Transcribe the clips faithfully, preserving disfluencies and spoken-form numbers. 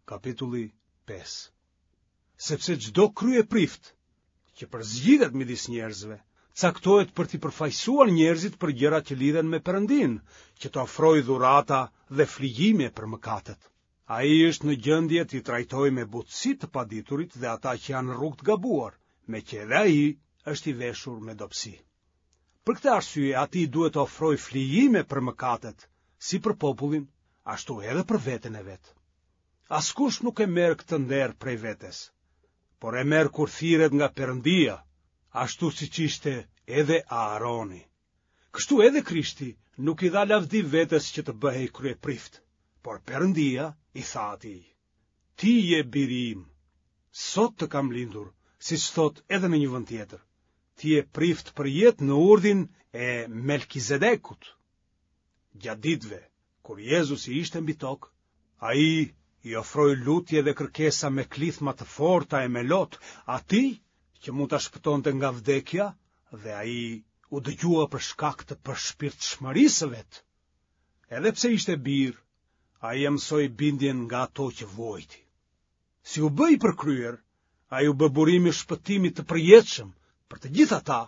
Kapitulli pesë. Sepse çdo kryeprift që përzgjidhet midis njerëzve, caktohet për t'i përfaqësuar njerëzit për gjërat që lidhen me Perëndinë, që të ofrojë dhurata dhe flijime për mëkatet. Ai është në gjendje t'i trajtojë me butësi të paditurit dhe ata që janë në rrugë të gabuar, meqë edhe ai është i veshur me dobësi. Për këtë arsye atij duhet të ofrojë flijime për mëkatet, si për popullin, ashtu edhe për veten e vet. Askush nuk e merr këtë nder prej vetes, por e merr kur thirret nga Perëndia, ashtu siç ishte edhe Aaroni. Kështu edhe Krishti nuk i dha lavdi vetes që të bëhej kryeprift, por Perëndia i tha atij: Ti je biri im, sot të kam lindur, siç thotë edhe në një vend tjetër. Ti je prift përjetë në urdhin e Melkizedekut. Gjatë ditëve, kur Jezusi ishte mbi tokë, ai i ofroi lutje dhe kërkesa me klithma të forta e me lot atij që mund ta shpëtonte nga vdekja dhe ai u dëgjua për shkak të përshpirtshmërisë së vet. Edhe pse ishte bir, ai e mësoi bindjen nga ato që vuajti. Si u bë i përkryer, ai u bë burimi i shpëtimit të përjetshëm për të gjithë ata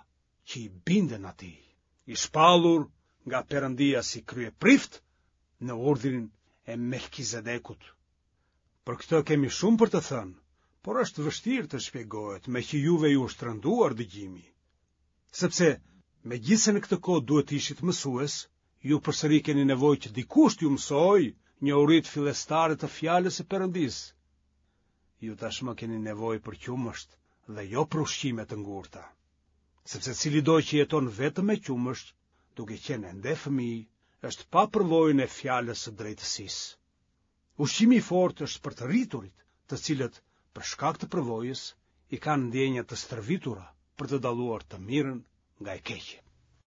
që i binden atij, i shpallur nga Perëndia si kryeprift në urdhrin e Melkizedekut. Për këtë kemi shumë për të thënë, por është vështirë të shpjegohet, meqë juve ju është rënduar dëgjimi. Sepse, megjithëse në këtë kohë duhet të ishit mësues, ju përsëri keni nevojë që dikush t'ju mësojë njohuritë fillestare të fjalës së Perëndisë. Ju tashmë keni nevojë për qumësht dhe jo për ushqime të ngurta. Sepse cilido që jeton vetëm me qumësht, duke qenë ende fëmijë, është pa përvojën e fjalës së drejtësisë. Ushqimi i fortë është për të rriturit, të cilët, për shkak të përvojës, i kanë ndjenjat të stërvitura për të dalluar të mirën nga e keqja.